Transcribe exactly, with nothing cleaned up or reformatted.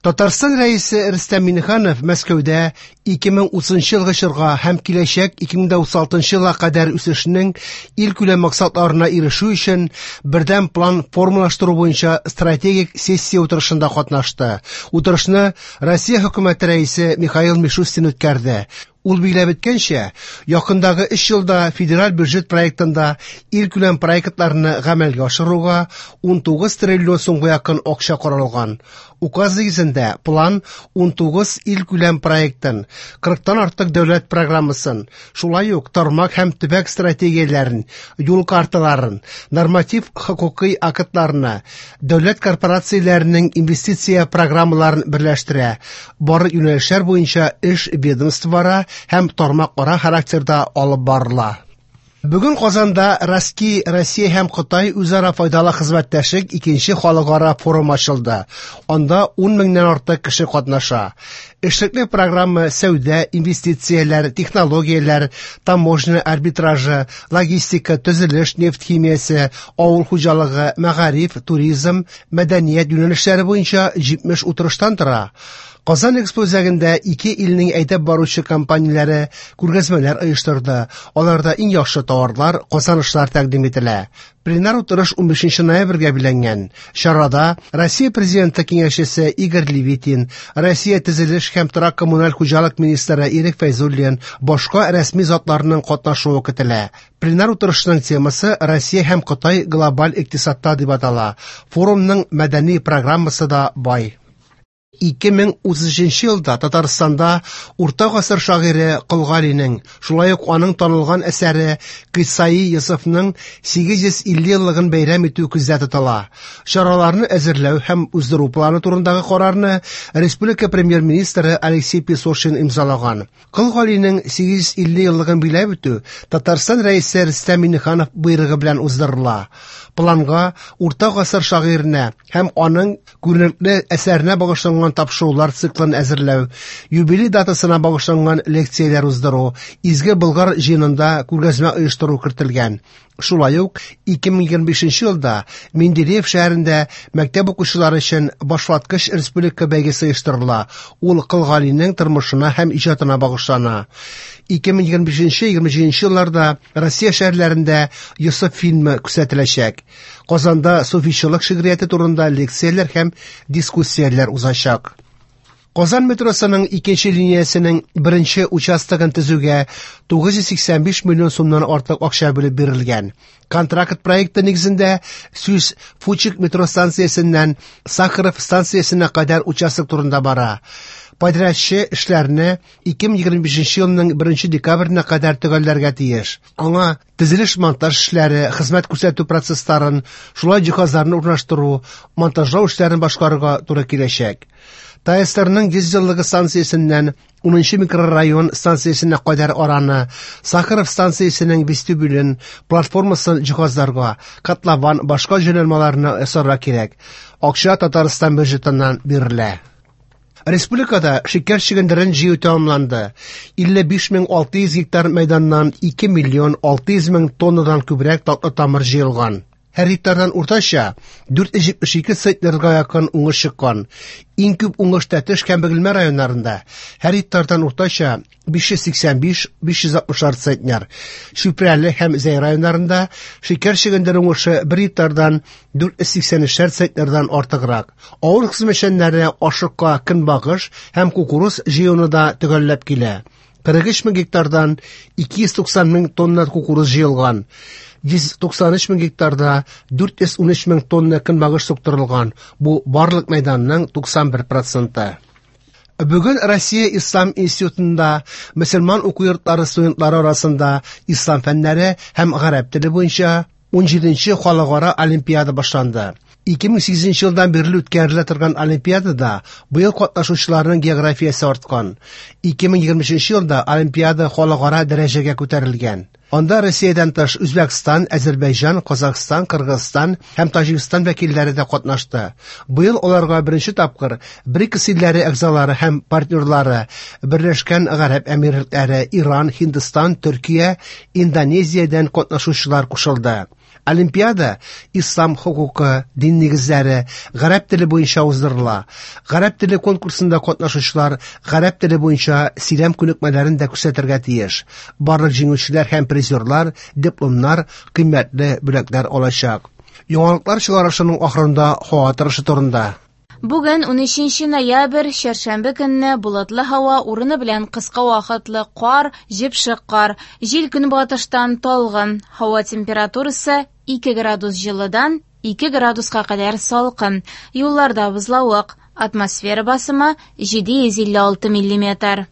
Татарстан Рәисе Рөстәм Миңнеханов Мәскәүдә ике мең утызынчы елгы чорга һәм киләчәк ике мең утыз алтынчы елга кадәр үсешнең илкүләм максатларына ирешү өчен бердәм план формалаштыру буенча стратегик сессия утырышында катнашты. Утырышны Россия хөкүмәте рәисе Михаил Мишустин үткәрде. Ул билгеләп үткәнчә, якындагы өч елда федераль бюджет проектында илкүләм проектларны гамәлгә ашыруга ун тугыз триллион сумга якын акча каралган. Указ нигезендә план ун тугыз илкүләм проектын, кырыктан артык дәүләт программасын, шулай ук тармак һәм төбәк стратегияләрен, юл карталарын, норматив хокукый актларны, дәүләт корпорацияләренең инвестиция программаларын берләштерә. Барлык юнәлешләр буенча эш ведомствора һәм тармакара характерда алып барыла. Бүген Казанда Россия, Россия һәм Кытай үзара файдалы хезмәттәшлек икенче халыкара форум ачылды. Анда ун меңнән артык кеше катнаша. Эшлекле программа сәүдә, инвестицияләр, технологияләр, таможня арбитражы, логистика, төзелеш, нефть химиясе, авыл хуҗалыгы, мәгариф, туризм, мәдәният юнәлешләре буенча җитмеш утырыштан тора. Казан Экспо үзәгендә ике илнең әйдәп баручы компанияләре күргәзмәләр оештырды. Аларда иң яхшы товарлар, казанышлар тәкъдим ителә. Пленар утырыш унбишенче ноябрьгә билгеләнгән. Чарада Россия Президенты киңәшчесе Игорь Левитин, Россия төзелеш һәм торак коммуналь хуҗалык министры Ирек Фәйзуллин, башка рәсми затларның катнашуы көтелә. Пленар утырышның темасы Россия һәм Кытай глобаль икътисадта дип атала. Форумның мәдәни программасы да бай. Ике мең утыз өченче елда Татарстанда урта гасыр шагыйре Кол Галинең, шулай ук аның танылган әсәре Кыйссаи Йосыфның сигез йөз илле еллыгын бәйрәм итү күздә тотыла. Чараларны әзерләү һәм уздыру планы турындагы карарны республика премьер-министры Алексей Песошин имзалаган. Кол Галинең сигез йөз илле еллыгын билгеләп үтү Татарстан Рәисе Рөстәм Миңнеханов буйрыгы белән уздырыла. Планга урта гасыр шагыйренә һәм аның күренекле әсәренә багышланган тапшырулар циклын әзерләү, юбилей датасына багышланган лекцияләр уздыру, Изге Болгар җыенында күргәзмә оештыру кертелгән. Шулай ук ике мең егерме бишенче елда Менделеев шәһәрендә мәктәп укучылары өчен башваткыч республика бәйгесе оештырыла. Ул Кол Галинең тормышына һәм иҗатына багышлана. Ике мең егерме бишенче, егерме җиденче елларда Россия шәһәрләрендә Йосыф фильмы күрсәтеләчәк. Казанда суфичылык шигърияте турында лекцияләр һәм дискуссияләр узачак. Казан метросының икенче линиясенең беренче участогын төзүгә тугыз йөз сиксән биш миллион сумнан артык акча бүлеп бирелгән. Контракт проекты нигезендә сүз Фучик метро станциясеннән Сахаров станциясенә кадәр участок турында бара. Подрядчы эшләрне ике мең егерме бишенче елның беренче декабренә кадәр төгәлләргә тиеш. Аңа төзелеш монтаж эшләре, хезмәт күрсәтү процессларын, шулай җиһазларны урнаштыру, монтажлау эшләрен башкарырга туры киләчәк. ТАССРның йөз еллыгы станциясеннән унынчы микрорайон станциясенә кадәр араны, Сахаров станциясенең вестибюлен, платформасын җиһазларга, котлован, башка җайланмаларны ясарга кирәк. Акча Татарстан бюджетыннан бирелә. Республикада шикәр чөгендерен җыю тәмамланды. Илле биш мең алты йөз гектар мәйданнан ике миллион алты йөз мең тоннадан күбрәк татлы тамыр җыелган. Һәр гектардан уртача дүрт йөз җитмеш ике центнерга якын уңыш чыккан. Иң күп уңыш Тәтеш һәм Бөгелмә районнарында. Һәр гектардан уртача биш йөз сиксән биш, биш йөз алтмышар центнер. Чүпрәле һәм Зәй районнарында шикәр чөгендере уңышы бер гектардан дүрт йөз сиксән өчәр центнердан артыграк. Авыл хезмәтчәннәре ашыкка көнбагыш һәм кукуруз җыюны да төгәлләп килә. Кырык өч мең гектардан ике йөз туксан мең тонна кукуруз җыелган. Йөз туксан өч мең гектарда дүрт йөз ун өч мең тонна көнбагыш суктырылган. Бу барлык мәйданның туксан бер проценты. Бүген Россия Ислам институтында мөселман уку йортлары студентлары арасында ислам фәннәре һәм гарәп теле буенча ун җиденче халыкара олимпиада башланды. Ике мең сигезенче елдан бирле үткәрелә торган олимпиадада быел катнашучыларның географиясе арткан. Ике мең егерме өченче елда олимпиада халыкара дәрәҗәгә күтәрелгән. Анда Россиядән тыш Үзбәкстан, Әзербайҗан, Казахстан, Кыргызстан һәм Таҗикстан вәкилләре дә катнашты. Быел аларга беренче тапкыр БРИКС илләре әгъзалары һәм партнерлары Берләшкән Гарәп Әмирлекләре, Иран, Һиндстан, Төркия, Индонезиядән катнашучылар кушылды. Олимпиада ислам хокукы, дин нигезләре, гарәп теле буенча уздырыла. Гарәп теле конкурсында катнашучылар гарәп теле буенча сөйләм күнекмәләрен дә күрсәтергә тиеш. Барлык җиңүчеләр һәм призерлар дипломнар, кыйммәтле бүләкләр алачак. Яңалыклар чыгарышының ахырында һава торышы турында. Бүген унөченче ноябрь, чәршәмбе көнне болытлы һава, урыны белән кыска вакытлы кар, җепшек кар. Җил көнбатыштан талгын. Һава температурасы ике градус җылыдан ике градуска кадәр салкын. Юлларда бозлавык. Атмосфера басымы җиде йөз илле алты миллиметр.